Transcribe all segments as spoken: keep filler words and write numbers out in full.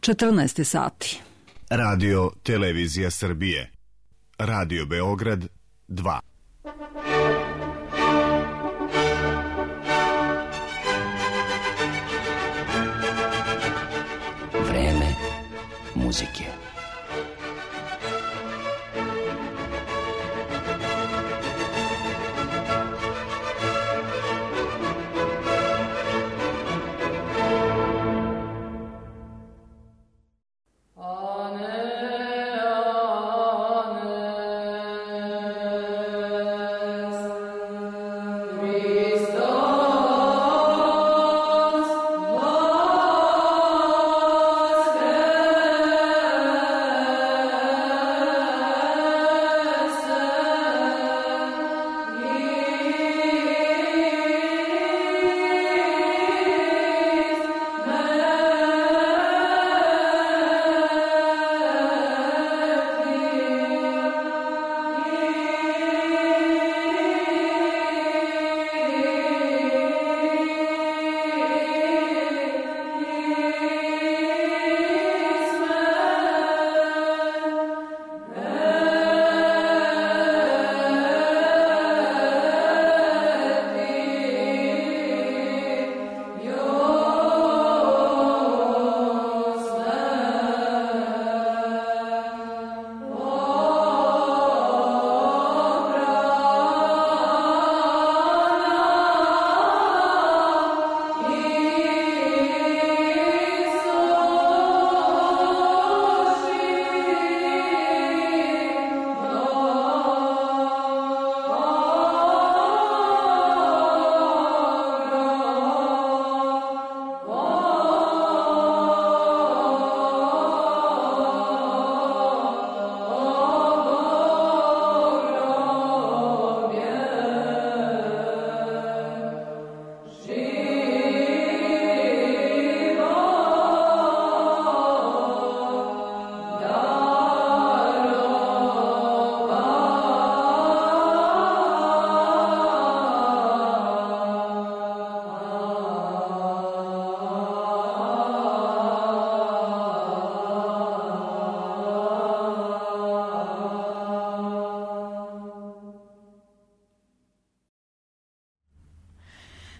četrnaest sati. Radio Televizija Srbije. Radio Beograd dva. Vreme muzike.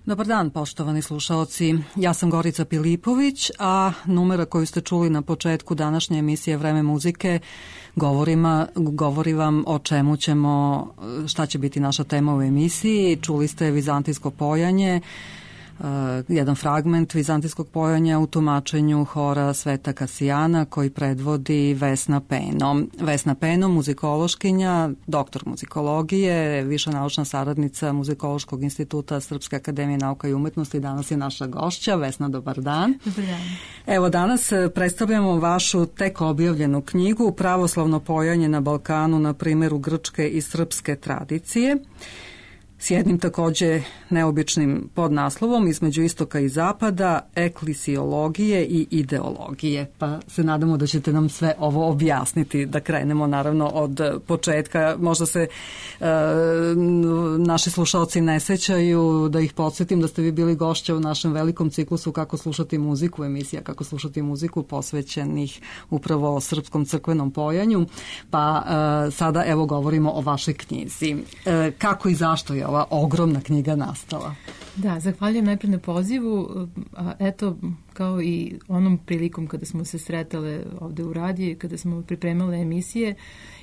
Dobar dan, poštovani slušaoci. Ja sam Gorica Pilipović, a numera koju ste čuli na početku današnje emisije Vreme muzike govorima, govori vam o čemu ćemo, šta će biti naša tema u emisiji. Čuli ste vizantijsko pojanje, Uh, jedan fragment vizantijskog pojanja u tumačenju hora Sveta Kasijana koji predvodi Vesna Peno. Vesna Peno, muzikološkinja, doktor muzikologije, viša naučna saradnica Muzikološkog instituta Srpske akademije nauka i umetnosti, danas je naša gošća. Vesna, dobar dan. Dobar dan. Evo, danas predstavljamo vašu tek objavljenu knjigu Pravoslavno pojanje na Balkanu na primjeru grčke i srpske tradicije, s jednim takođe neobičnim podnaslovom Između istoka i zapada, eklisiologije i ideologije. Pa se nadamo da ćete nam sve ovo objasniti, da krenemo naravno od početka. Možda se e, naši slušalci ne sećaju, da ih podsjetim da ste vi bili gošća u našem velikom ciklusu Kako slušati muziku, emisija Kako slušati muziku posvećenih upravo srpskom crkvenom pojanju. Pa e, sada evo govorimo o vašoj knjizi. E, kako i zašto je ova ogromna knjiga nastala? Da, zahvaljujem najprej na pozivu. A eto, kao i onom prilikom kada smo se sretale ovde u radiju, kada smo pripremale emisije,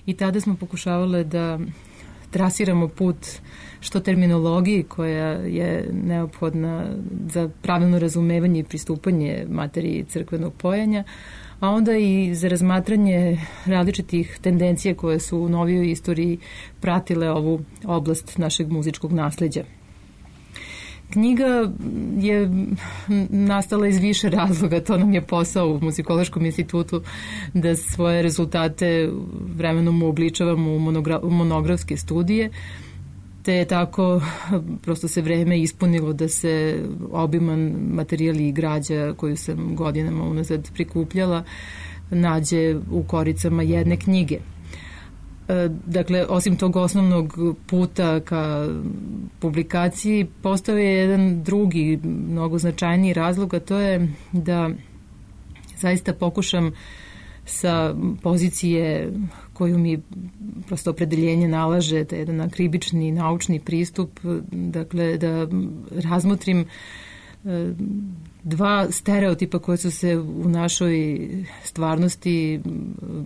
i tada smo pokušavale da trasiramo put što terminologiji koja je neophodna za pravilno razumevanje i pristupanje materiji crkvenog pojanja, a onda i za razmatranje različitih tendencija koje su u novijoj istoriji pratile ovu oblast našeg muzičkog nasleđa. Knjiga je nastala iz više razloga, to nam je posao u Muzikološkom institutu, da svoje rezultate vremenom uobličavamo u, monogra- u monografske studije, te je tako prosto se vreme ispunilo da se obiman materijal i građa koju sam godinama unazad prikupljala nađe u koricama jedne knjige. Dakle, osim tog osnovnog puta ka publikaciji, postao je jedan drugi, mnogo značajniji razlog, a to je da zaista pokušam sa pozicije koju mi prosto opredeljenje nalaže, to je jedan akribični naučni pristup, dakle da razmotrim dva stereotipa koje su se u našoj stvarnosti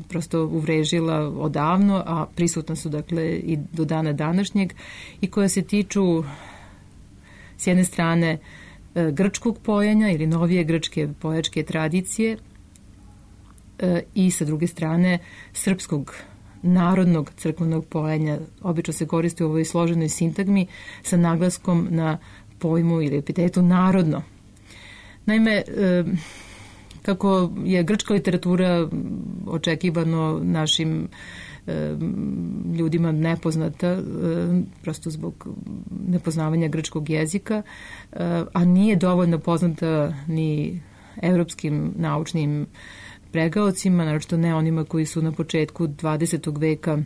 prosto uvrežila odavno, a prisutna su dakle i do dana današnjeg i koja se tiču s jedne strane grčkog pojenja ili novije grčke pojačke tradicije i sa druge strane srpskog narodnog crkvenog pojenja. Obično se koristi u ovoj složenoj sintagmi sa naglaskom na pojmu ili epitetu narodno. Naime, kako je grčka literatura očekivano našim ljudima nepoznata, prosto zbog nepoznavanja grčkog jezika, a nije dovoljno poznata ni evropskim naučnim pregaocima, naročito ne onima koji su na početku dvadesetog veka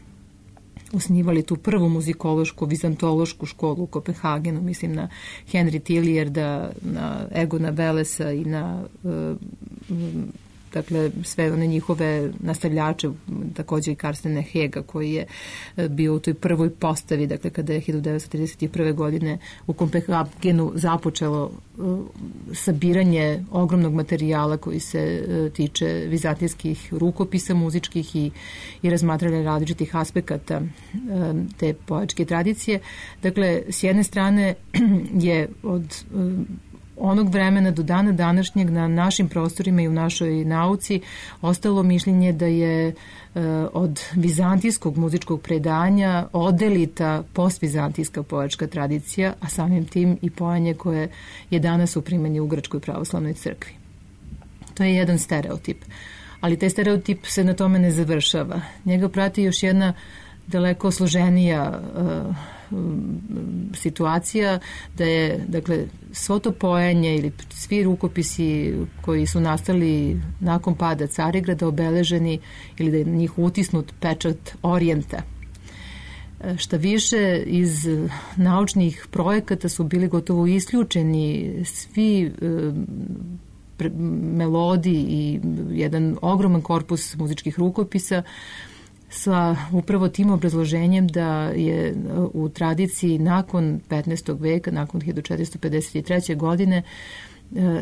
osnivali tu prvu muzikološku, vizantološku školu u Kopenhagenu, mislim na Henry Tilliarda, na Egona Velesa i na dakle sve one njihove nastavljače, takođe i Karstena Hega koji je bio u toj prvoj postavi, dakle kada je hiljadu devetsto trideset prve. godine u Kopenhagenu započelo sabiranje ogromnog materijala koji se tiče vizantijskih rukopisa muzičkih i, i razmatranja različitih aspekata te pojačke tradicije. Dakle, s jedne strane je od onog vremena do dana današnjeg na našim prostorima i u našoj nauci ostalo mišljenje da je e, od vizantijskog muzičkog predanja odelita postvizantijska pojačka tradicija, a samim tim i pojanje koje je danas u primjenju u Grčkoj pravoslavnoj crkvi. To je jedan stereotip, ali taj stereotip se na tome ne završava. Njega prati još jedna daleko složenija uh, situacija, da je dakle svo to pojenje ili svi rukopisi koji su nastali nakon pada Carigrada obeleženi ili da je njih utisnut pečat Orijenta. Šta više, iz naučnih projekata su bili gotovo isključeni svi uh, melodi i jedan ogroman korpus muzičkih rukopisa sa upravo tim obrazloženjem da je u tradiciji nakon petnaestog veka, nakon hiljadu četiristo pedeset treće. godine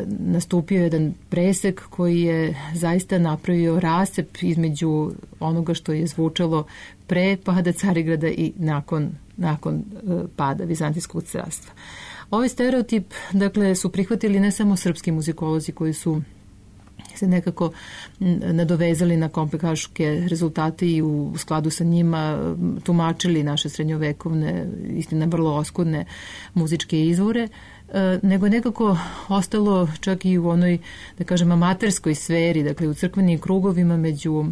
nastupio jedan presek koji je zaista napravio rascep između onoga što je zvučalo pre pada Carigrada i nakon, nakon pada Vizantijskog carstva. Ovaj stereotip, dakle, su prihvatili ne samo srpski muzikolozi koji su se nekako nadovezali na kopenhaške rezultate i u skladu sa njima tumačili naše srednjovekovne, istina vrlo oskudne muzičke izvore, nego je nekako ostalo čak i u onoj, da kažem, amaterskoj sferi, dakle u crkvenim krugovima među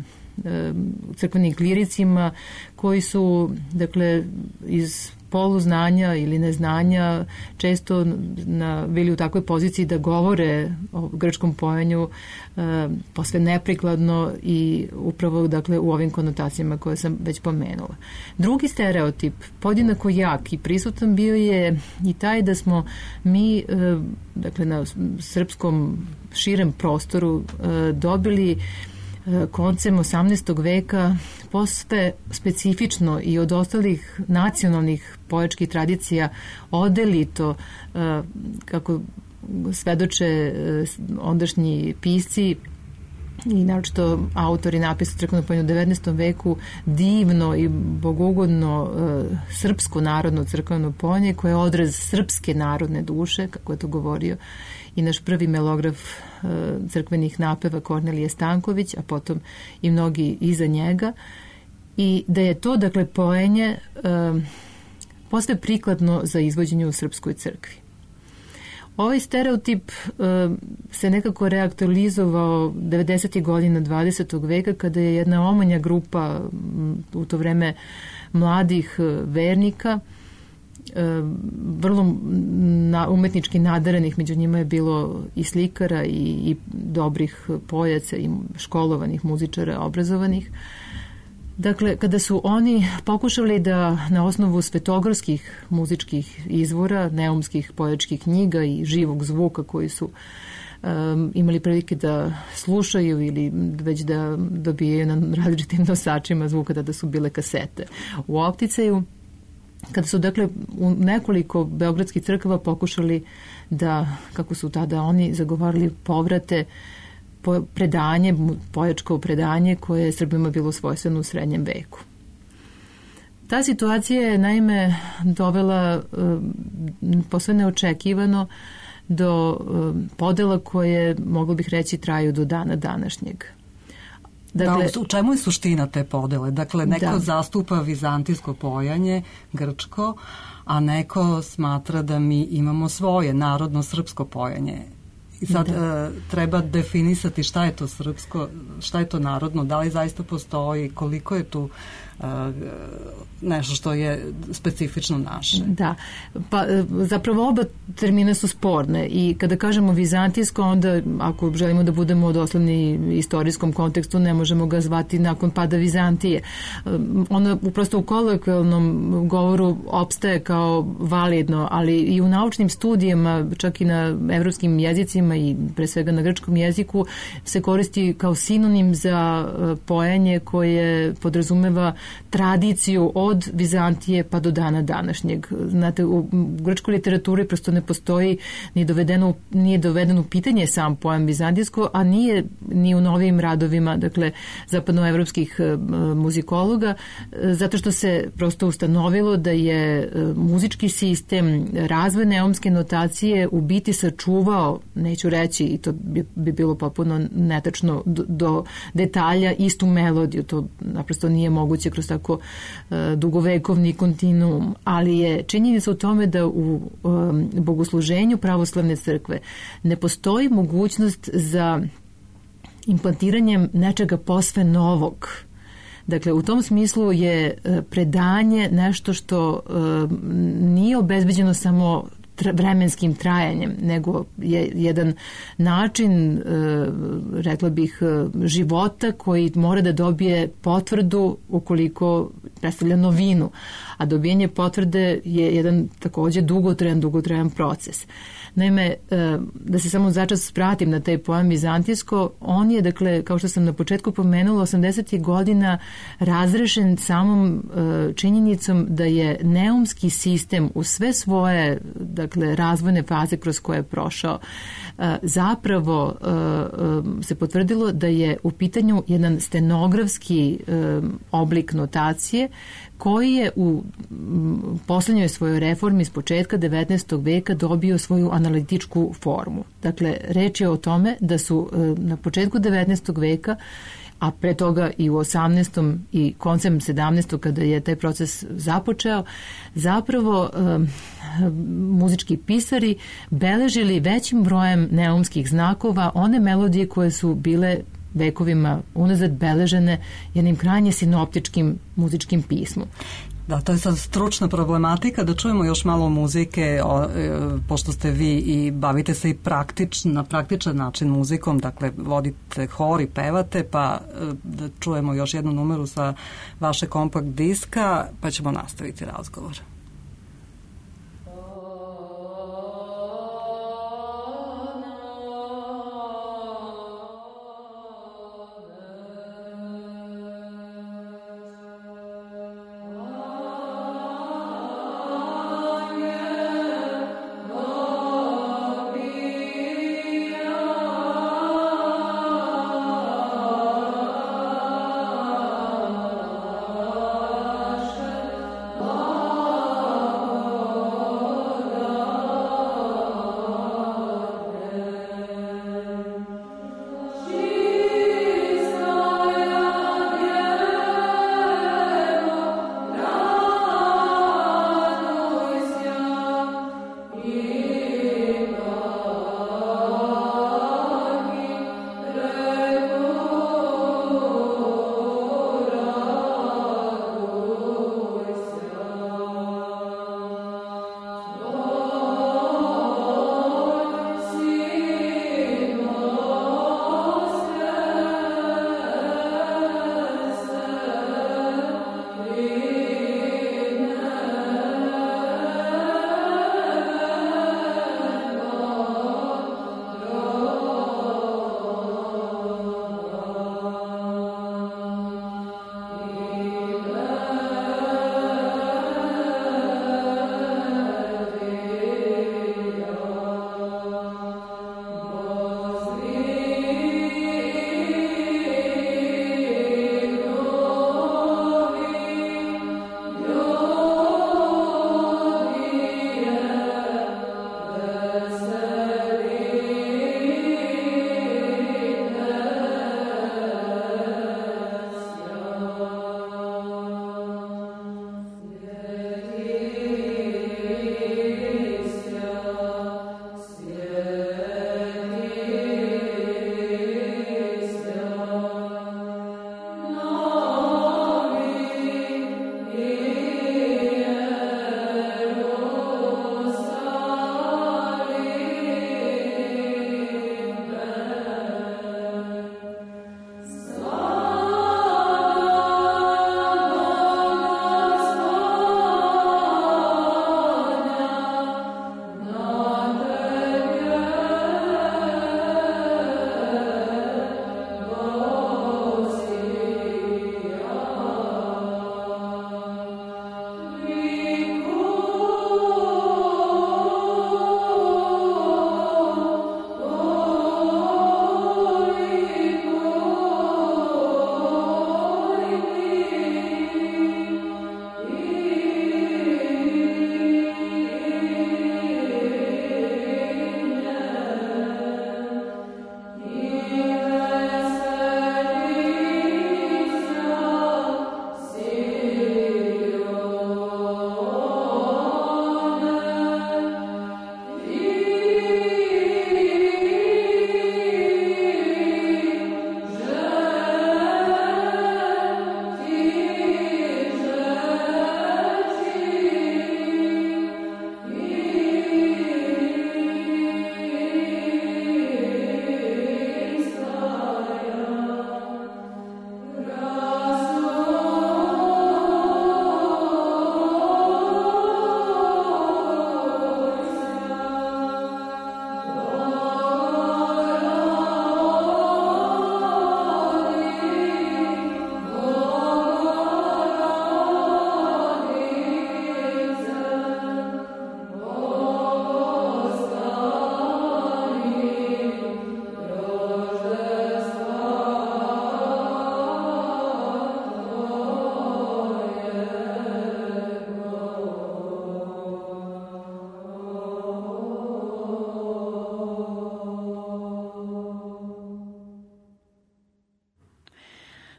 crkvenim kliricima koji su, dakle, iz poluznanja ili neznanja često na, bili u takvoj poziciji da govore o grčkom pojenju e, posve neprikladno i upravo, dakle, u ovim konotacijama koje sam već pomenula. Drugi stereotip, podjednako jak i prisutan, bio je i taj da smo mi, e, dakle, na srpskom širem prostoru e, dobili koncem osamnaestog veka posve specifično i od ostalih nacionalnih pojačkih tradicija odelito, kako svedoče ondašnji pisci i naročito autori napisa crkvenog pojenja u devetnaestom veku, divno i bogugodno e, srpsko narodno crkveno pojenje koje je odraz srpske narodne duše, kako je to govorio i naš prvi melograf e, crkvenih napeva Kornelije Stanković, a potom i mnogi iza njega, i da je to, dakle, pojenje e, posve prikladno za izvođenje u srpskoj crkvi. Ovaj stereotip uh, se nekako reaktualizovao devedesetih godina dvadesetog veka kada je jedna omanja grupa m, u to vreme mladih uh, vernika, uh, vrlo na, umetnički nadarenih, među njima je bilo i slikara i, i dobrih pojaca i školovanih muzičara, obrazovanih. Dakle, kada su oni pokušali da na osnovu svetogorskih muzičkih izvora, neumskih pojačkih knjiga i živog zvuka koji su um, imali prilike da slušaju ili već da dobijaju na različitim nosačima zvuka, da su bile kasete u opticaju. Kada su, dakle, u nekoliko beogradskih crkava pokušali da, kako su tada oni zagovarali, povrate po predanje, pojačko predanje koje je Srbima bilo svojstveno u srednjem veku. Ta situacija je naime dovela posve neočekivano do podela koje, moglo bih reći, traju do dana današnjeg. Dakle, da, u čemu je suština te podele? Dakle, neko da. zastupa vizantijsko pojanje, grčko, a neko smatra da mi imamo svoje narodno srpsko pojanje. I sad da. e, treba definisati šta je to srpsko, šta je to narodno, da li zaista postoji, koliko je tu e, nešto što je specifično naše. Da, pa zapravo oba termina su sporne i kada kažemo vizantijsko, onda ako želimo da budemo doslovni istorijskom kontekstu, ne možemo ga zvati nakon pada Vizantije. Ono prosto u kolokvijalnom govoru opstaje kao validno, ali i u naučnim studijama, čak i na evropskim jezicima i pre svega na grčkom jeziku, se koristi kao sinonim za pojanje koje podrazumeva tradiciju od Vizantije pa do dana današnjeg. Znate, u grčkoj literaturi prosto ne postoji ni dovedeno, nije dovedeno pitanje sam pojam vizantijsko, a nije ni u novim radovima, dakle, zapadnoevropskih muzikologa, zato što se prosto ustanovilo da je muzički sistem razvoj neumske notacije u biti sačuvao, neću reći, i to bi, bi bilo potpuno netačno, do, do detalja istu melodiju. To naprosto nije moguće kroz tako uh, dugovekovni kontinuum, ali je činjenica u tome da u um, bogosluženju pravoslavne crkve ne postoji mogućnost za implantiranjem nečega posve novog. Dakle, u tom smislu je predanje nešto što uh, nije obezbeđeno samo vremenskim trajanjem, nego je jedan način, rekla bih, života koji mora da dobije potvrdu ukoliko predstavlja novinu, a dobijanje potvrde je jedan takođe dugotrajan, dugotrajan proces. Naime, da se samo začas vratim na taj pojam vizantijsko, on je, dakle, kao što sam na početku pomenula, osamdesetih godina razrešen samom činjenicom da je neumski sistem u sve svoje, dakle, razvojne faze kroz koje je prošao, zapravo se potvrdilo da je u pitanju jedan stenografski oblik notacije koji je u poslednjoj svojoj reformi s početka devetnaestog veka dobio svoju analitičku formu. Dakle, reč je o tome da su na početku devetnaestog veka, a pre toga i u osamnaestom i koncem sedamnaestog kada je taj proces započeo, zapravo um, muzički pisari beležili većim brojem neumskih znakova one melodije koje su bile vekovima unazad beležene jednim krajnje sinoptičkim muzičkim pismom. Da, to je sad stručna problematika, da čujemo još malo muzike, o, e, pošto ste vi i bavite se i praktično, na praktičan način muzikom, dakle vodite hor i pevate, pa e, da čujemo još jednu numeru sa vaše kompakt diska, pa ćemo nastaviti razgovor. Oh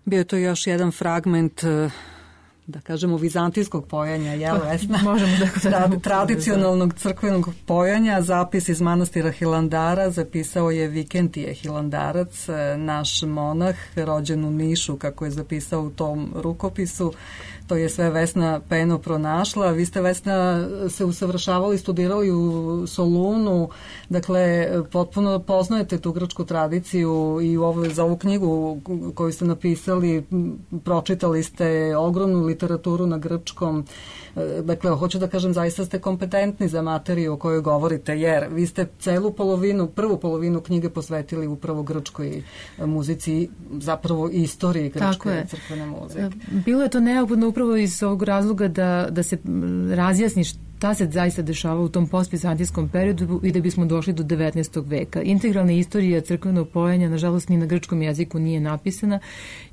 Bio je to još jedan fragment, da kažemo, vizantijskog pojanja, jel, Vesna? Možemo da Trad, tradicionalnog crkvenog pojanja. Zapis iz manastira Hilandara zapisao je Vikentije Hilandarac, naš monah, rođen u Nišu, kako je zapisao u tom rukopisu. To je sve Vesna Peno pronašla. Vi ste, Vesna, se usavršavali, studirali u Solunu, dakle, potpuno poznajete tu grčku tradiciju i u ovo, za ovu knjigu koju ste napisali, pročitali ste ogromnu literaturu na grčkom. Dakle, hoću da kažem, zaista ste kompetentni za materiju o kojoj govorite, jer vi ste celu polovinu, prvu polovinu knjige posvetili upravo grčkoj muzici, zapravo istoriji grčke crkvene muzike. Bilo je to neophodno upravo iz ovog razloga da, da se razjasni šta se zaista dešava u tom postvizantijskom periodu i da bismo došli do devetnaestog veka. Integralna istorija crkvenog pojanja, nažalost, ni na grčkom jeziku nije napisana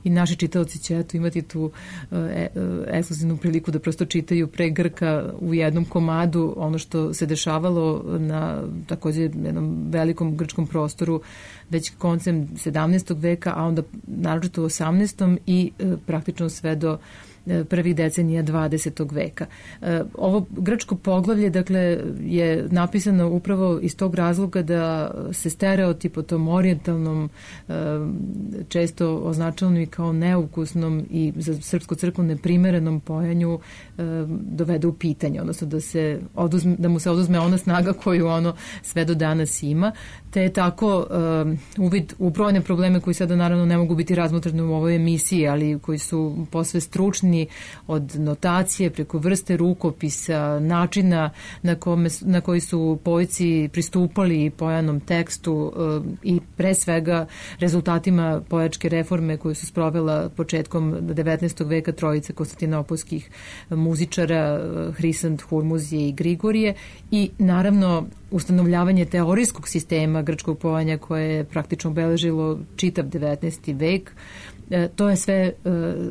i naši čitaoci će eto imati tu e, ekskluzivnu priliku da prosto čitaju pre Grka u jednom komadu ono što se dešavalo na također jednom velikom grčkom prostoru već koncem sedamnaestog veka, a onda naročito u osamnaestom i e, praktično sve do prvih decenija dvadesetog veka. Ovo grčko poglavlje, dakle, je napisano upravo iz tog razloga da se stereotip o tom orijentalnom, često označanom i kao neukusnom i za srpsku crkvu neprimerenom pojanju dovede u pitanje, odnosno da, se oduzme, da mu se oduzme ona snaga koju ono sve do danas ima, te je tako uvid u brojne probleme koji sada naravno ne mogu biti razmotreni u ovoj emisiji, ali koji su posve stručni, od notacije preko vrste rukopisa, načina na, kome, na koji su poeti pristupali pojanom tekstu i pre svega rezultatima pojačke reforme koju su sprovela početkom devetnaestog veka trojice konstantinopolskih muzičara Hrisant, Hurmuzije i Grigorije i naravno ustanovljavanje teorijskog sistema grčkog pojanja koje je praktično obeležilo čitav devetnaesti vek. E, to je sve e,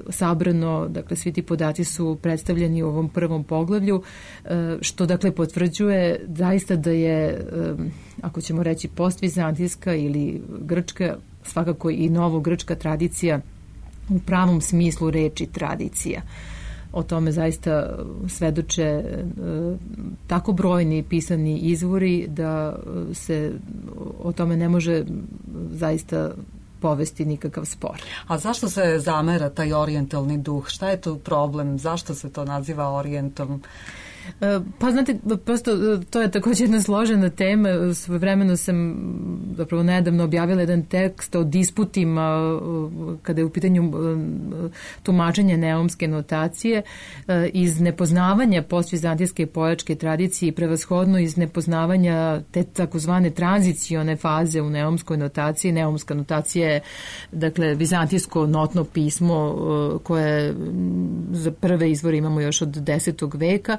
sabrano, dakle svi ti podaci su predstavljeni u ovom prvom poglavlju, e, što dakle potvrđuje zaista da je, e, ako ćemo reći postvizantijska ili grčka, svakako i novogrčka tradicija u pravom smislu reči tradicija. O tome zaista svedoče e, tako brojni pisani izvori da se o tome ne može zaista povesti nikakav spor. A zašto se zamera taj orijentalni duh? Šta je tu problem? Zašto se to naziva orijentom? Pa znate, prosto to je također jedna složena tema. Svojevremeno sam zapravo nedavno objavila jedan tekst o disputima kada je u pitanju tumačenje neumske notacije iz nepoznavanja postvizantijske pojačke tradicije i prevashodno iz nepoznavanja te takozvane tranzicione faze u neumskoj notaciji. Neumska notacija je, dakle, vizantijsko notno pismo koje za prve izvore imamo još od desetog veka.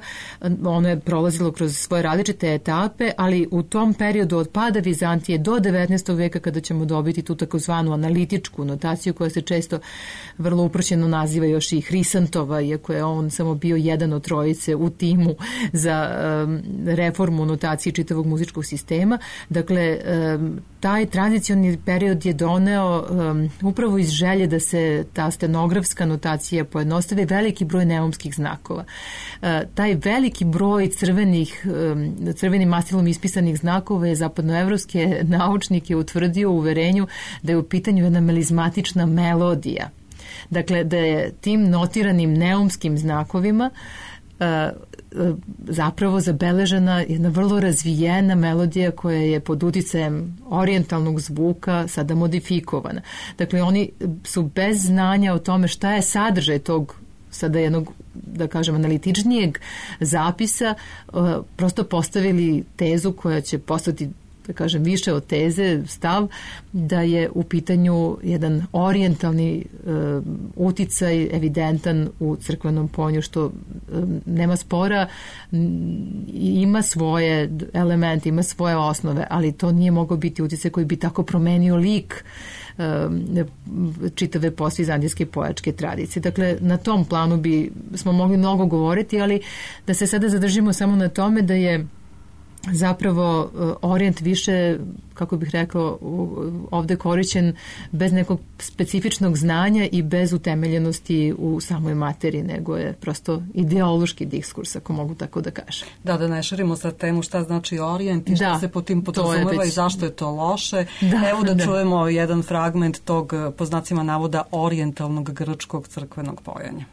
Ono je prolazilo kroz svoje različite etape, ali u tom periodu od pada Vizantije do devetnaestog veka kada ćemo dobiti tu takozvanu analitičku notaciju koja se često vrlo uprošćeno naziva još i Hrisantova, iako je on samo bio jedan od trojice u timu za um, reformu notacije čitavog muzičkog sistema. Dakle, um, taj tranzicioni period je doneo um, upravo iz želje da se ta stenografska notacija pojednostave veliki broj neumskih znakova. Uh, taj veliki broj crvenih, um, crvenim mastilom ispisanih znakova je zapadnoevropske naučnike utvrdio u uverenju da je u pitanju jedna melizmatična melodija. Dakle, da je tim notiranim neumskim znakovima uh, zapravo zabeležena jedna vrlo razvijena melodija koja je pod uticajem orijentalnog zvuka sada modifikovana. Dakle, oni su bez znanja o tome šta je sadržaj tog sada jednog, da kažem, analitičnijeg zapisa, prosto postavili tezu koja će postati, da kažem, više od teze, stav da je u pitanju jedan orijentalni uh, uticaj evidentan u crkvenom pojanju, što um, nema spora, ima svoje elemente, ima svoje osnove, ali to nije mogao biti uticaj koji bi tako promenio lik čitave postvizantijske pojačke tradicije. Dakle, na tom planu bi smo mogli mnogo govoriti, ali da se sada zadržimo samo na tome da je zapravo orijent više, kako bih rekao, ovde korišćen bez nekog specifičnog znanja i bez utemeljenosti u samoj materiji, nego je prosto ideološki diskurs, ako mogu tako da kažem. Da, da ne širimo sad temu šta znači orijent i šta da, se po tim podrazumeva već... i zašto je to loše. Da, Evo da, da čujemo jedan fragment tog, po znacima navoda, orijentalnog grčkog crkvenog pojanja.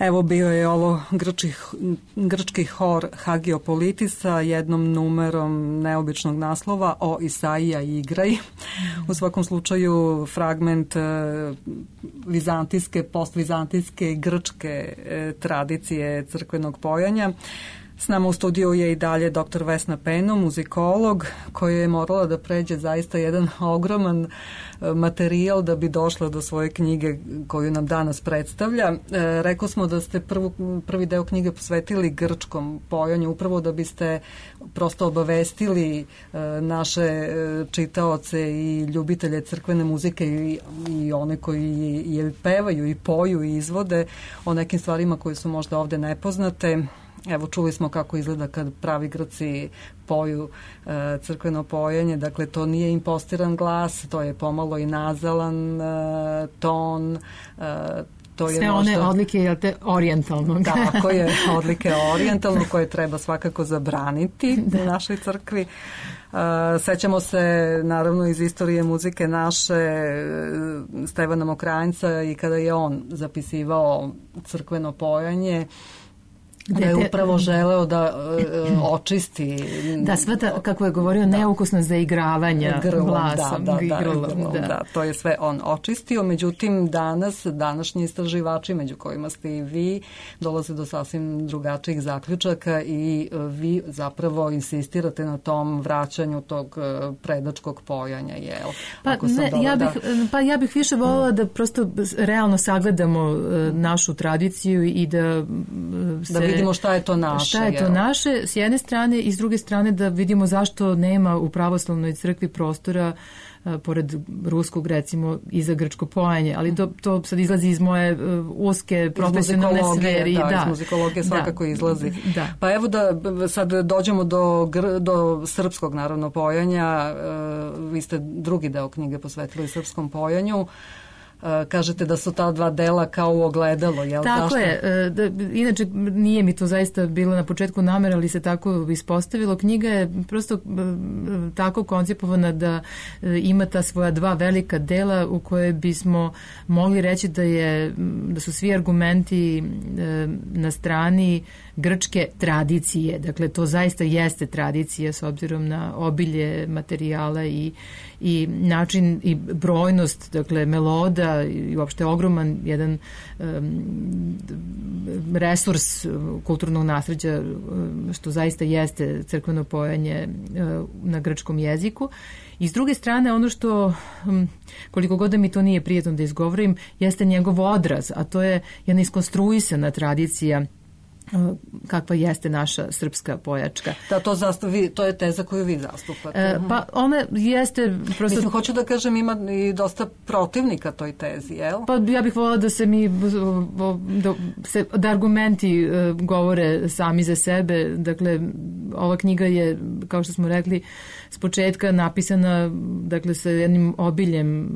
Evo bio je ovo grčki, grčki hor Hagiopolitis sa jednom numerom neobičnog naslova O Isaija igraj. U svakom slučaju fragment vizantijske, postvizantijske i grčke tradicije crkvenog pojanja. S nama u studiju je i dalje doktor Vesna Peno, muzikolog, koja je morala da pređe zaista jedan ogroman materijal da bi došla do svoje knjige koju nam danas predstavlja. E, rekao smo da ste prvu, prvi deo knjige posvetili grčkom pojanju, upravo da biste prosto obavestili e, naše čitaoce i ljubitelje crkvene muzike i, i one koji je pevaju i poju i izvode o nekim stvarima koje su možda ovde nepoznate. Evo, čuli smo kako izgleda kad pravi Grci poju e, crkveno pojenje, dakle to nije impostiran glas, to je pomalo i nazalan e, ton, e, to je sve možda one odlike je te orijentalnog. Tako je, odlike orijentalnog koje treba svakako zabraniti da. u našoj crkvi. Uh, sećamo se naravno iz istorije muzike naše Stevana Mokranjca i kada je on zapisivao crkveno pojanje, da je upravo želeo da uh, očisti da sveta, kako je govorio, da, neukusno zaigravanja grlom, glasom da, da, da, grlom, grlom, da. da, to je sve on očistio, međutim danas, današnji istraživači među kojima ste i vi dolaze do sasvim drugačijih zaključaka i vi zapravo insistirate na tom vraćanju tog predačkog pojanja, jel? Pa, ne, ja bih, da... pa ja bih više voljela da prosto realno sagledamo našu tradiciju i da se... Da vidimo šta je to naše. Šta je to naše, s jedne strane, i s druge strane da vidimo zašto nema u pravoslavnoj crkvi prostora pored ruskog, recimo, i za grčko pojanje, ali to, to sad izlazi iz moje uh, uske profesionalne sferi. Da, da, iz muzikologije svakako da, izlazi. Da. Pa evo da sad dođemo do, do srpskog, naravno, pojanja. Uh, vi ste drugi deo knjige posvetili srpskom pojanju. Kažete da su ta dva dela kao u ogledalo, jel? Tako Zašto? je. Da, inače, nije mi to zaista bilo na početku namera, ali se tako ispostavilo. Knjiga je prosto tako koncipovana da ima ta svoja dva velika dela u koje bismo mogli reći da, je, da su svi argumenti na strani grčke tradicije. Dakle, to zaista jeste tradicija s obzirom na obilje materijala i, i način i brojnost, dakle, meloda i uopšte ogroman jedan um, resurs kulturnog nasleđa, što zaista jeste crkveno pojanje uh, na grčkom jeziku. I s druge strane, ono što, um, koliko god da mi to nije prijetno da izgovorim, jeste njegov odraz, a to je jedna iskonstruisana tradicija kakva jeste naša srpska pojačka. Da, to, zastavi, to je teza koju vi zastupate. E, pa ona jeste prosto... Mislim, hoću da kažem, ima i dosta protivnika toj tezi, jel? Pa ja bih voljela da se mi da, se, da argumenti uh, govore sami za sebe. Dakle, ova knjiga je, kao što smo rekli, s početka napisana, dakle, sa jednim obiljem uh,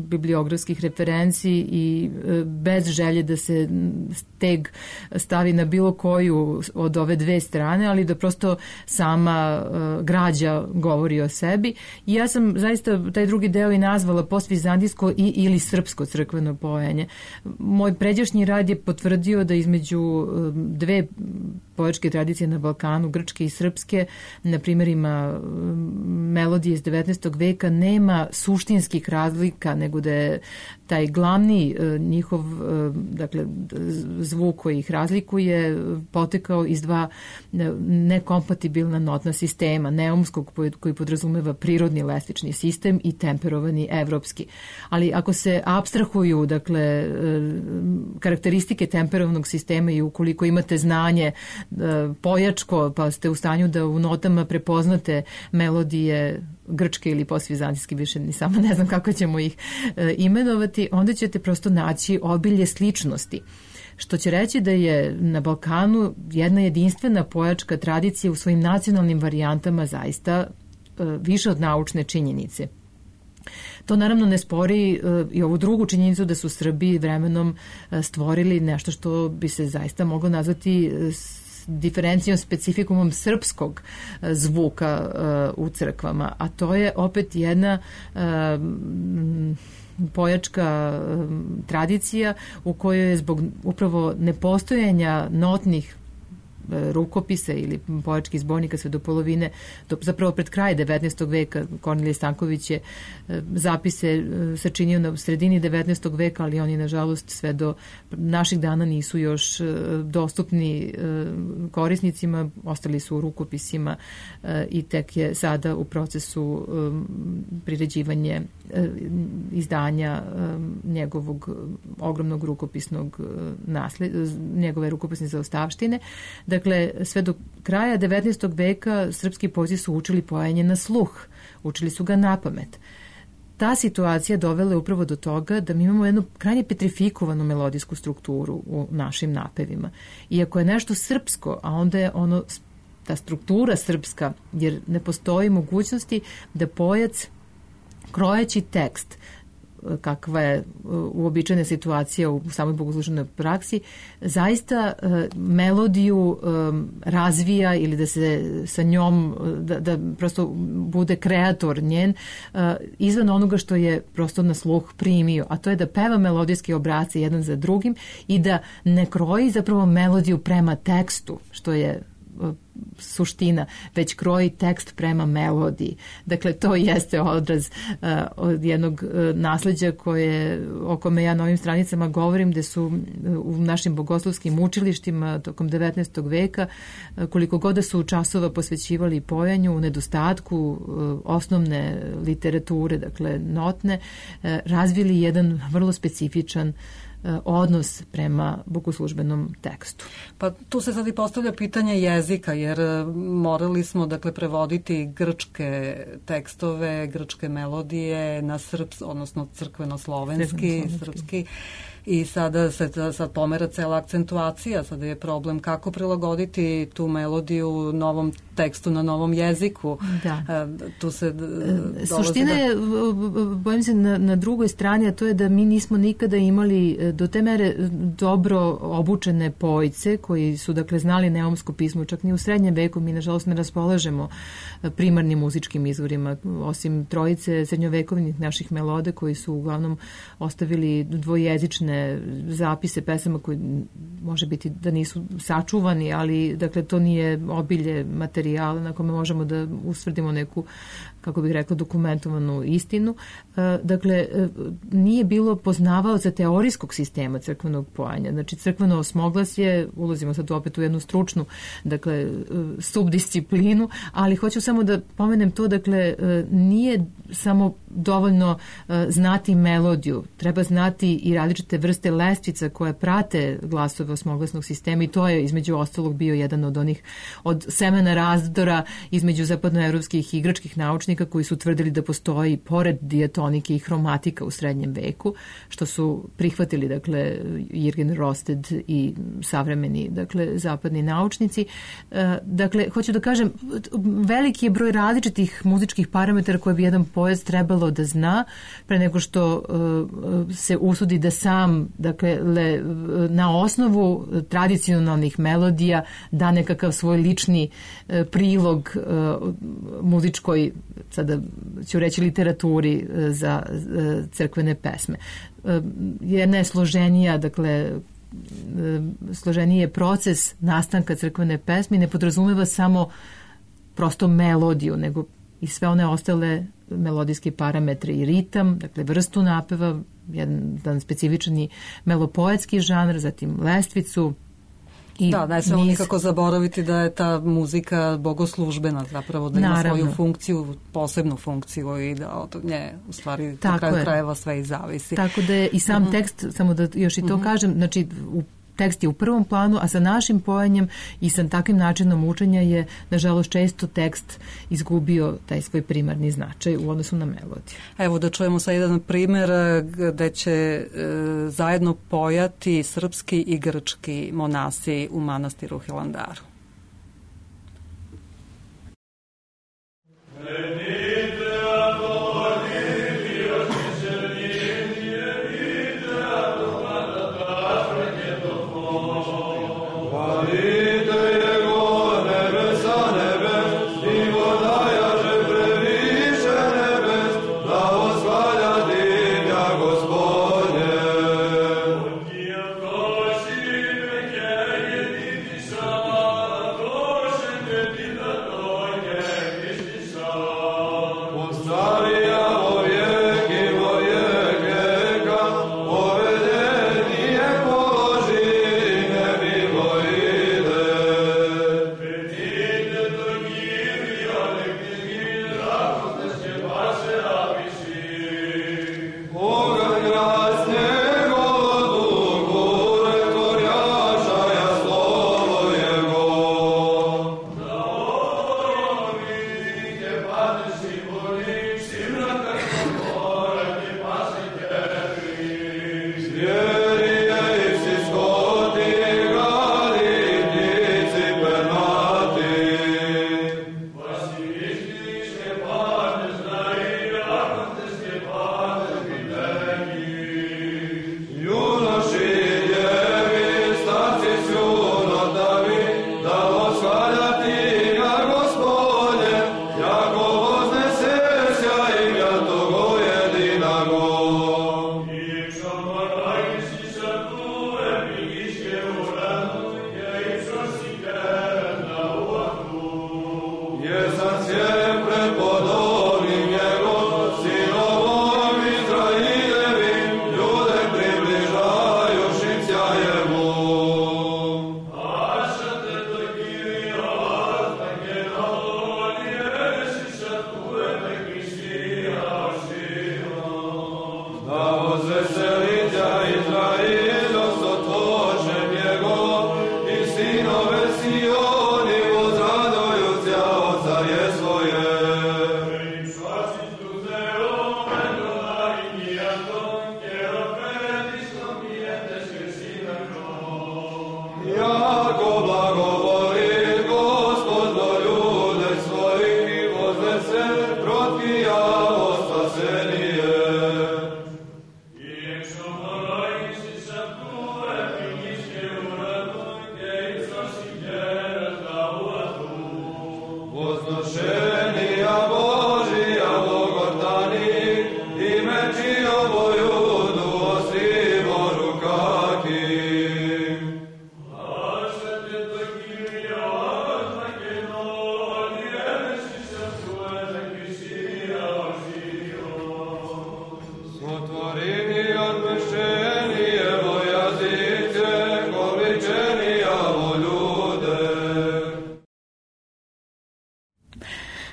bibliografskih referenci i uh, bez želje da se steg stavi na bilo koju od ove dve strane, ali da prosto sama uh, građa govori o sebi. I ja sam zaista taj drugi deo i nazvala postvizantijsko i ili srpsko crkveno pojanje. Moj pređašnji rad je potvrdio da između uh, dve pojačke tradicije na Balkanu, grčke i srpske, na primjerima melodije iz devetnaestog veka, nema suštinskih razlika, nego da je taj glavni uh, njihov uh, dakle, zvuk koji ih razlikuje potekao iz dva nekompatibilna notna sistema, neumskog koji podrazumeva prirodni lestični sistem i temperovani evropski. Ali ako se apstrahuju, dakle, karakteristike temperovanog sistema i ukoliko imate znanje pojačko, pa ste u stanju da u notama prepoznate melodije grčke ili postvizantijske, više ni sama ne znam kako ćemo ih imenovati, onda ćete prosto naći obilje sličnosti. Što će reći da je na Balkanu jedna jedinstvena pojačka tradicija u svojim nacionalnim varijantama zaista uh, više od naučne činjenice. To naravno ne spori uh, i ovu drugu činjenicu da su Srbi vremenom uh, stvorili nešto što bi se zaista moglo nazvati uh, diferencijom, specifikumom srpskog uh, zvuka uh, u crkvama, a to je opet jedna uh, pojačka um, tradicija u kojoj je zbog upravo nepostojanja notnih uh, rukopisa ili pojačkih zbornika sve do polovine, do, zapravo pred kraj devetnaestog veka, Kornelije Stanković je uh, zapise uh, sačinio na sredini devetnaestog veka, ali oni nažalost sve do naših dana nisu još uh, dostupni uh, korisnicima, ostali su u rukopisima uh, i tek je sada u procesu um, priređivanje izdanja njegovog ogromnog rukopisnog nasled, njegove rukopisne zaostavštine. Dakle, sve do kraja devetnaestog veka srpski poeti su učili pojanje na sluh, učili su ga na pamet. Ta situacija dovela je upravo do toga da mi imamo jednu krajnje petrifikovanu melodijsku strukturu u našim napevima. Iako je nešto srpsko, a onda je ono, ta struktura srpska, jer ne postoji mogućnosti da pojac krojeći tekst, kakva je uobičajena situacija u samoj bogoslužbenoj praksi, zaista melodiju razvija ili da se sa njom, da, da prosto bude kreator njen izvan onoga što je prosto na sluh primio, a to je da peva melodijske obrace jedan za drugim i da ne kroji zapravo melodiju prema tekstu, što je suština, već kroji tekst prema melodiji. Dakle, to jeste odraz uh, od jednog uh, nasleđa koje, o kome ja na ovim stranicama govorim, gde su uh, u našim bogoslovskim učilištima tokom devetnaestog veka, uh, koliko god da su časova posvećivali pojanju, u nedostatku uh, osnovne literature, dakle notne, uh, razvili jedan vrlo specifičan odnos prema bogoslužbenom tekstu. Pa tu se sad i postavlja pitanje jezika, jer morali smo dakle prevoditi grčke tekstove, grčke melodije na srpski, odnosno crkveno-slovenski, srpski, i sada se sad pomera cela akcentuacija, sada je problem kako prilagoditi tu melodiju novom tekstu na novom jeziku. Da. Tu se Suština je, bojim se, na, na drugoj strani, a to je da mi nismo nikada imali do te mere dobro obučene pojice koji su dakle znali neumsko pismo, čak ni u srednjem veku mi nažalost ne raspolažemo primarnim muzičkim izvorima, osim trojice srednjovekovnih naših melode koji su uglavnom ostavili dvojezične zapise pesama koji može biti da nisu sačuvani, ali dakle to nije obilje materijala na kome možemo da ustvrdimo neku, kako bih rekla, dokumentovanu istinu. Dakle, nije bilo poznavaoca teorijskog sistema crkvenog pojanja. Znači, crkveno osmoglasje, ulazimo sad opet u jednu stručnu, dakle, subdisciplinu, ali hoću samo da pomenem to, dakle, nije samo dovoljno znati melodiju, treba znati i različite vrste lestvica koje prate glasove osmoglasnog sistema i to je između ostalog bio jedan od onih, od semena razdora između zapadnoevropskih i grčkih naučnika koji su tvrdili da postoji pored dijatonike i hromatika u srednjem veku, što su prihvatili, dakle, Jürgen Rosted i savremeni, dakle, zapadni naučnici. Dakle, hoću da kažem, veliki je broj različitih muzičkih parametara koje bi jedan poet trebalo da zna pre nego što se usudi da sam, dakle, le, na osnovu tradicionalnih melodija da nekakav svoj lični prilog muzičkoj, sada ću reći, literaturi za crkvene pesme. Jedna je složenija, dakle, složeniji je proces nastanka crkvene pesme i ne podrazumeva samo prosto melodiju, nego i sve one ostale melodijske parametre i ritam, dakle vrstu napeva, jedan specifični melopoetski žanr, zatim lestvicu. I da, ne smemo nikako zaboraviti da je ta muzika bogoslužbena, zapravo da ima Naravno. svoju funkciju, posebnu funkciju i da od nje u stvari na kraju krajeva sve i zavisi. Tako da je i sam uh-huh. tekst, samo da još i to uh-huh. kažem, znači u tekst je u prvom planu, a sa našim pojanjem i sa takvim načinom učenja je, nažalost, često tekst izgubio taj svoj primarni značaj u odnosu na melodiju. Evo da čujemo sad jedan primer gde će e, zajedno pojati srpski i grčki monasi u manastiru Hilandaru. Gospodine,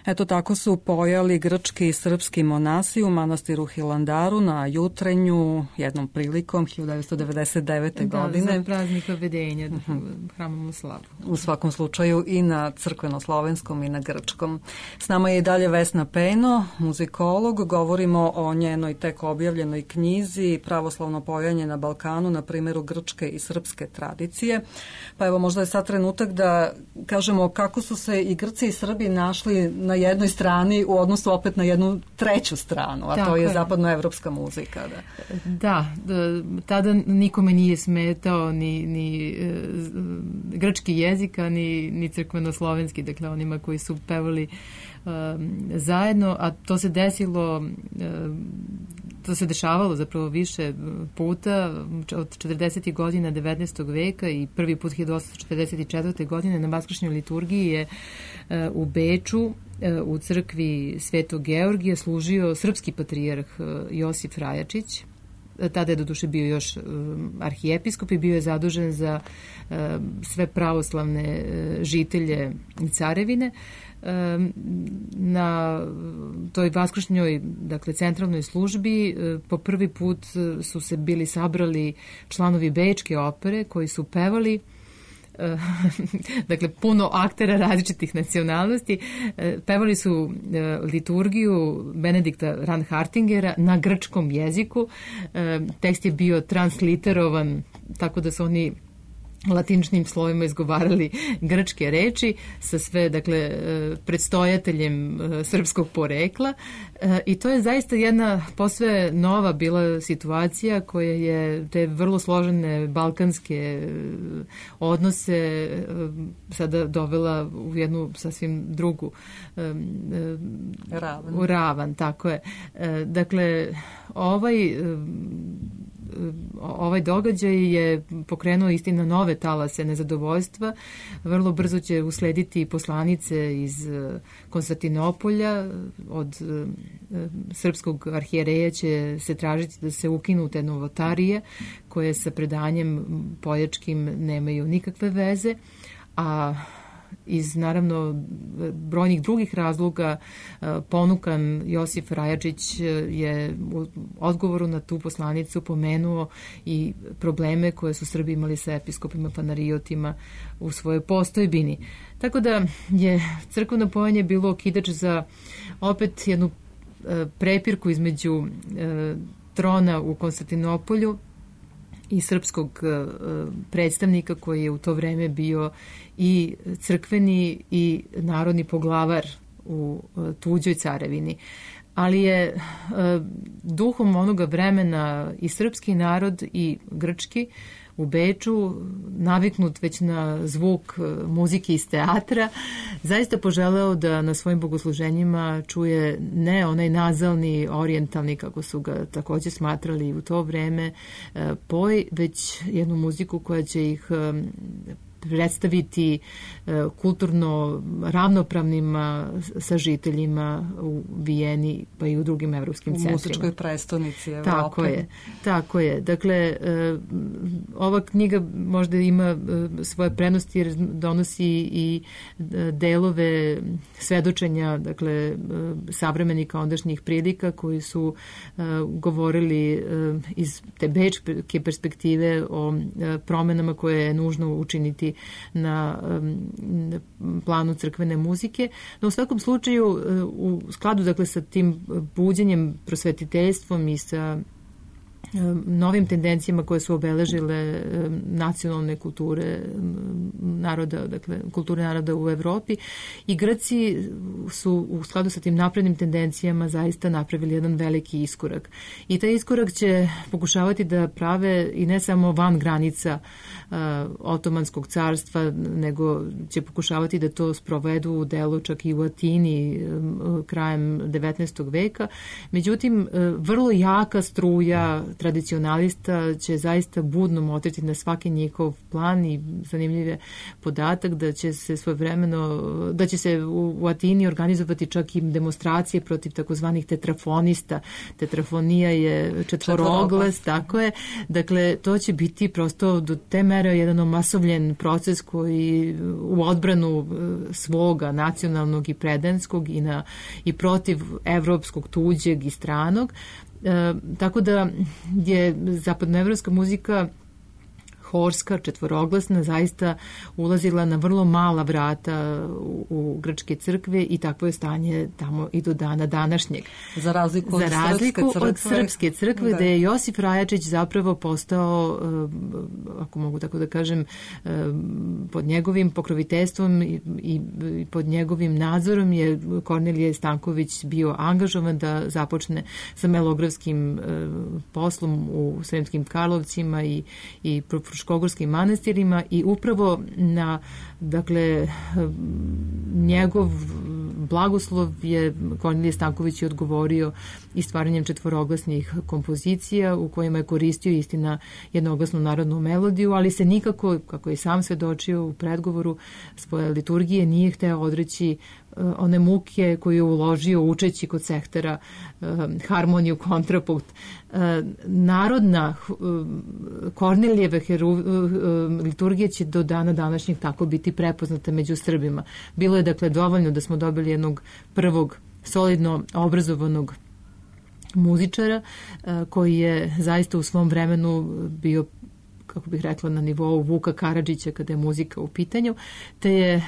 Eto tako su pojali grčki i srpski monasi u manastiru Hilandaru na Jutrenju jednom prilikom hiljadu devetsto devedeset devete. Da, godine. Za praznik Obvedenja, uh-huh. hramom u slavu. U svakom slučaju i na crkveno-slovenskom i na grčkom. S nama je i dalje Vesna Pejno, muzikolog. Govorimo o njenoj tek objavljenoj knjizi Pravoslavno pojanje na Balkanu na primjeru grčke i srpske tradicije. Pa evo, možda je sad trenutak da kažemo kako su se i Grci i Srbi našli na jednoj strani u odnosu opet na jednu treću stranu, a Tako to je, je zapadnoevropska muzika. Da. da, tada nikome nije smetao ni, ni e, grčki jezika, ni, ni crkveno-slovenski, dakle onima koji su pevali e, zajedno, a to se desilo e, to se dešavalo zapravo više puta od četrdesetih godina devetnaestog veka i prvi put hiljadu osamsto četrdeset četvrte. godine na vaskršnjoj liturgiji je e, u Beču u crkvi Svetog Georgija služio srpski patrijarh Josif Rajačić. Tada je doduše bio još arhijepiskop i bio je zadužen za sve pravoslavne žitelje Carevine. Na toj vaskršnjoj, dakle centralnoj službi po prvi put su se bili sabrali članovi Bečke opere koji su pevali dakle puno aktera različitih nacionalnosti. Pevali su liturgiju Benedikta Ranhartingera na grčkom jeziku. Tekst je bio transliterovan tako da su oni latiničnim slovima izgovarali grčke reči sa sve, dakle, predstojateljem srpskog porekla i to je zaista jedna posve nova bila situacija koja je te vrlo složene balkanske odnose sada dovela u jednu sasvim drugu ravan. U ravan, tako je. Dakle, ovaj ovaj događaj je pokrenuo istina nove talase nezadovoljstva. Vrlo brzo će uslediti poslanice iz Konstantinopolja. Od srpskog arhijereja će se tražiti da se ukinu te novotarije koje sa predanjem pojačkim nemaju nikakve veze, a iz naravno brojnih drugih razloga ponukan Josif Rajačić je u odgovoru na tu poslanicu pomenuo i probleme koje su Srbi imali sa episkopima panariotima u svojoj postojbini. Tako da je crkveno pojanje bilo okidač za opet jednu prepirku između trona u Konstantinopolju i srpskog predstavnika koji je u to vreme bio i crkveni i narodni poglavar u tuđoj carevini. Ali je duhom onoga vremena i srpski narod i grčki u Beču, naviknut već na zvuk muzike iz teatra, zaista poželeo da na svojim bogosluženjima čuje ne onaj nazalni, orijentalni, kako su ga također smatrali u to vreme, poj, već jednu muziku koja će ih predstaviti kulturno ravnopravnima sa žiteljima u Vijeni pa i u drugim evropskim centrima. U muzičkoj prestonici Evrope. Tako je, tako je. Dakle, ova knjiga možda ima svoje prednosti jer donosi i delove svedočenja, dakle, savremenika ondašnjih prilika koji su govorili iz te bečke perspektive o promenama koje je nužno učiniti na planu crkvene muzike. No u svakom slučaju u skladu, dakle, sa tim buđenjem, prosvetiteljstvom i sa novim tendencijama koje su obeležile nacionalne kulture naroda, dakle kulture naroda u Evropi, i Grci su u skladu sa tim naprednim tendencijama zaista napravili jedan veliki iskorak. I taj iskorak će pokušavati da prave i ne samo van granica uh, Otomanskog carstva, nego će pokušavati da to sprovedu u delu čak i u Atini um, krajem devetnaestog veka. Međutim, uh, vrlo jaka struja tradicionalista će zaista budno motriti na svaki njihov plan i zanimljiv je podatak da će se svojevremeno, da će se u, u Atini organizovati čak i demonstracije protiv takozvanih tetrafonista. Tetrafonija je četvoroglas, tako je. Dakle, to će biti prosto do te mere jedan omasovljen proces koji u odbranu svoga nacionalnog i predanskog i, na, i protiv evropskog, tuđeg i stranog. E, tako da je zapadnoevropska muzika horska, četvoroglasna, zaista ulazila na vrlo mala vrata u, u grčke crkve i takvo je stanje tamo i do dana današnjeg. Za razliku, Za razliku od, crkve, od srpske crkve, da. da je Josif Rajačić zapravo postao, ako mogu tako da kažem, pod njegovim pokroviteljstvom i, i, i pod njegovim nadzorom je Kornelije Stanković bio angažovan da započne sa melografskim poslom u Sremskim Karlovcima i, i Fruškogorskim manastirima i upravo na, dakle, njegov blagoslov je Kornelije Stanković odgovorio i stvaranjem četvoroglasnih kompozicija u kojima je koristio, istina, jednoglasnu narodnu melodiju, ali se nikako, kako je sam svedočio u predgovoru svoje liturgije, nije hteo odreći one muke koju je uložio učeći kod Sehtera harmoniju, kontrapunkt. Narodna Kornelijeve liturgija će do dana današnjeg tako biti prepoznata među Srbima. Bilo je dakle dovoljno da smo dobili jednog prvog solidno obrazovanog muzičara koji je zaista u svom vremenu bio, kako bih rekla, na nivou Vuka Karadžića kada je muzika u pitanju, te je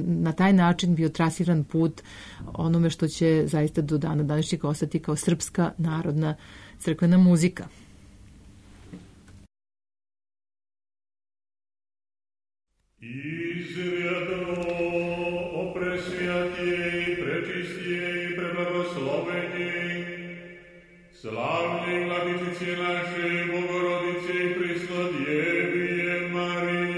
na taj način bio trasiran put onome što će zaista do dana današnjeg ostati kao srpska narodna crkvena muzika. Izvjedno o presvjatije i prečistije i preblagoslovenije, slavnje Vladicice naše, Bogorodice i Prisnodjevije Marije.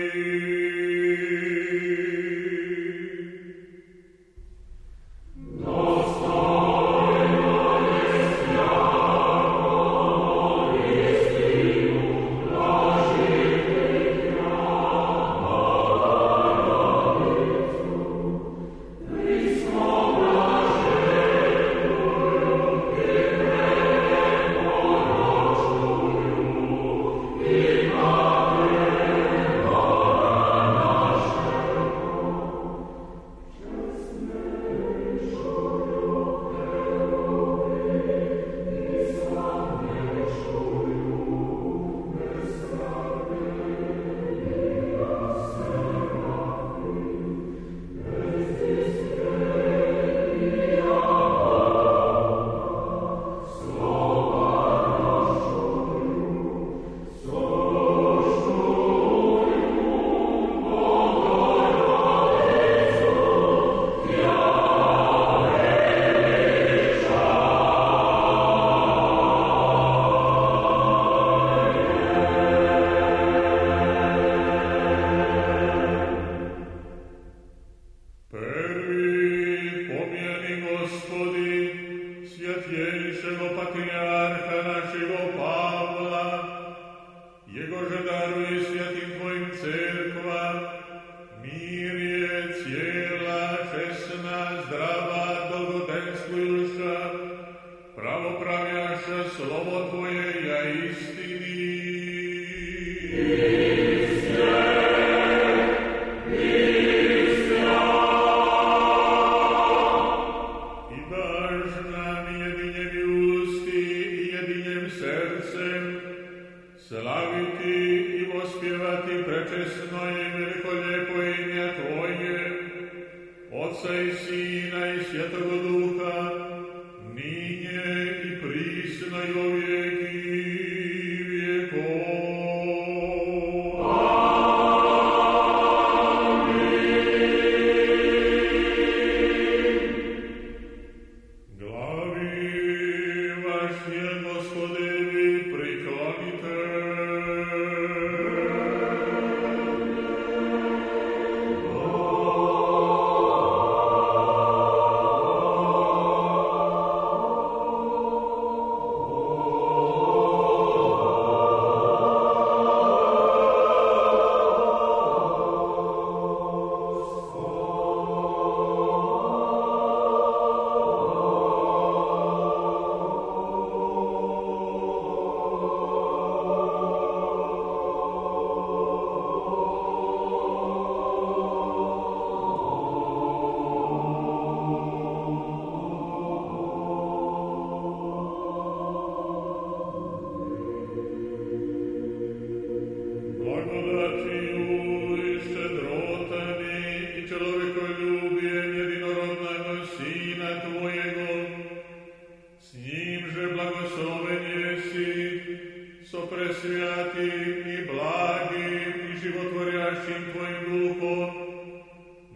svetlim i blagim i životvorjašim Tvojim duhom,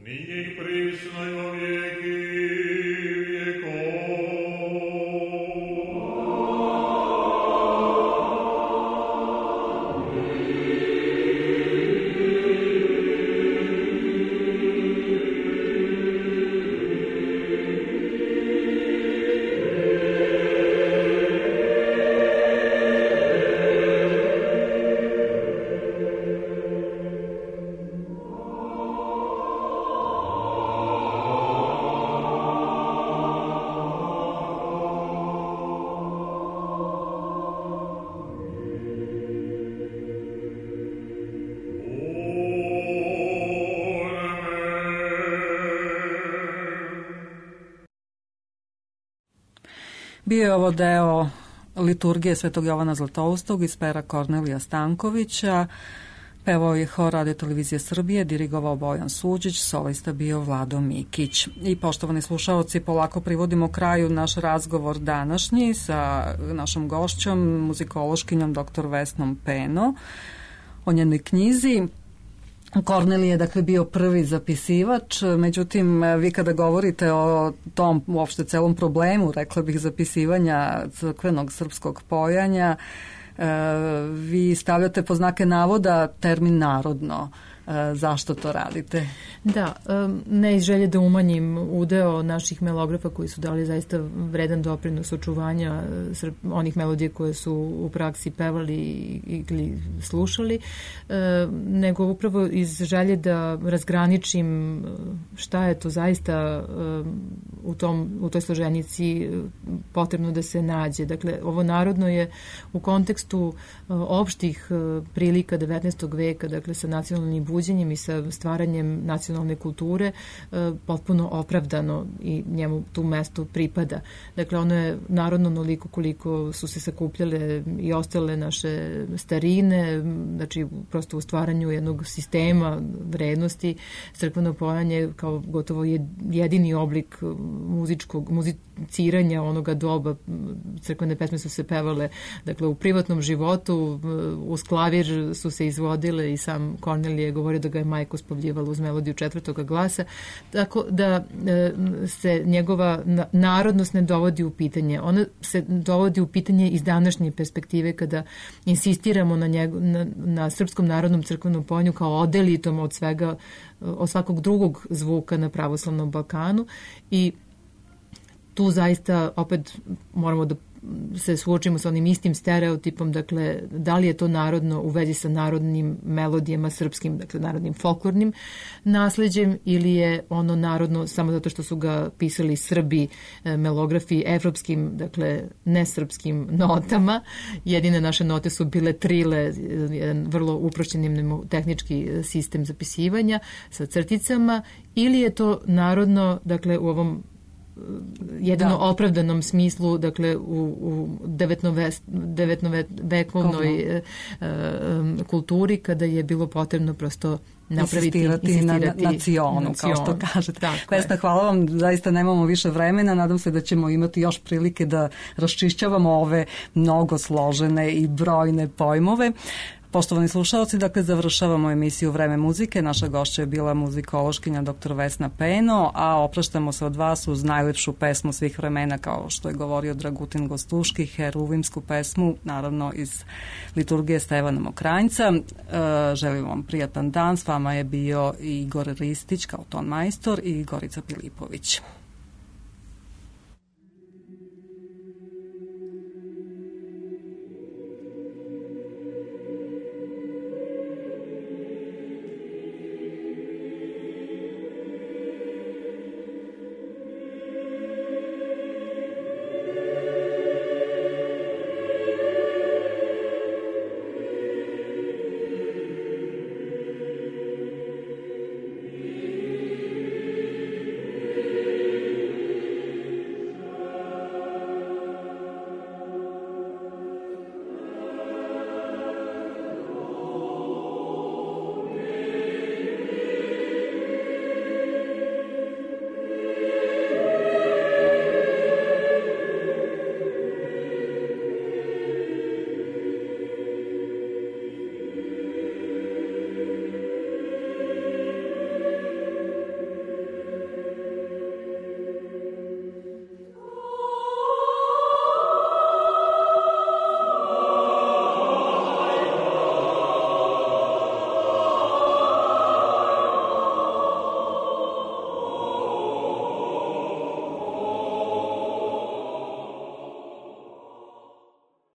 nije i prisno i o vijeki vijekov. Bio je ovo deo liturgije Svetog Jovana Zlatoustog iz pera Kornelija Stankovića. Pevao je hor Radio Televizije Srbije, dirigovao Bojan Suđić, solista bio Vlado Mikić. I poštovani slušaoci, polako privodimo kraju naš razgovor današnji sa našom gošćom, muzikološkinjom doktor Vesnom Peno, o njenoj knjizi. Kornelije je dakle bio prvi zapisivač, međutim vi kada govorite o tom uopšte celom problemu, rekla bih, zapisivanja crkvenog srpskog pojanja, vi stavljate po znake navoda termin narodno. Zašto to radite? Da, ne iz želje da umanjim udeo naših melografa koji su dali zaista vredan doprinos očuvanja onih melodija koje su u praksi pevali ili slušali, nego upravo iz želje da razgraničim šta je to zaista u, tom, u toj složenici potrebno da se nađe. Dakle, ovo narodno je u kontekstu opštih prilika devetnaestog veka, dakle sa nacionalnim buđenjem i sa stvaranjem nacionalne kulture potpuno opravdano i njemu tu mesto pripada. Dakle, ono je narodno onoliko koliko su se sakupljale i ostale naše starine, znači prosto u stvaranju jednog sistema vrednosti. Crkveno pojanje kao gotovo jedini oblik muzičkog, muziciranja onoga doba. Crkvene pesme su se pevale dakle u privatnom životu, uz klavir su se izvodile i sam Kornelije govorio da ga je majka uspavljivala uz melodiju četvrtoga glasa, tako da e, se njegova narodnost ne dovodi u pitanje. Ona se dovodi u pitanje iz današnje perspektive kada insistiramo na, njego, na, na srpskom narodnom crkvenom pojanju kao odelitom od svega, od svakog drugog zvuka na pravoslavnom Balkanu i tu zaista opet moramo da se suočimo sa onim istim stereotipom, dakle, da li je to narodno u vezi sa narodnim melodijama srpskim, dakle, narodnim folklornim nasleđem ili je ono narodno samo zato što su ga pisali Srbi, melografi, evropskim, dakle, nesrpskim notama. Jedine naše note su bile trile, jedan vrlo uprošćeni tehnički sistem zapisivanja sa crticama, ili je to narodno, dakle, u ovom jedino da. opravdanom smislu, dakle u, u devetnovekovnoj e, e, kulturi kada je bilo potrebno prosto napraviti, insistirati, insistirati na nacionu, kao što kažete. Vesna, hvala vam, zaista nemamo više vremena, nadam se da ćemo imati još prilike da raščišćavamo ove mnogo složene i brojne pojmove. Poštovani slušalci, dakle, završavamo emisiju Vreme muzike. Naša gošća je bila muzikološkinja doktor Vesna Peno, a opraštamo se od vas uz najlepšu pesmu svih vremena, kao što je govorio Dragutin Gostuški, heruvimsku pesmu, naravno iz liturgije Stevana Mokranjca. E, želim vam prijatan dan. S vama je bio Igor Ristić kao ton majstor i Gorica Pilipović.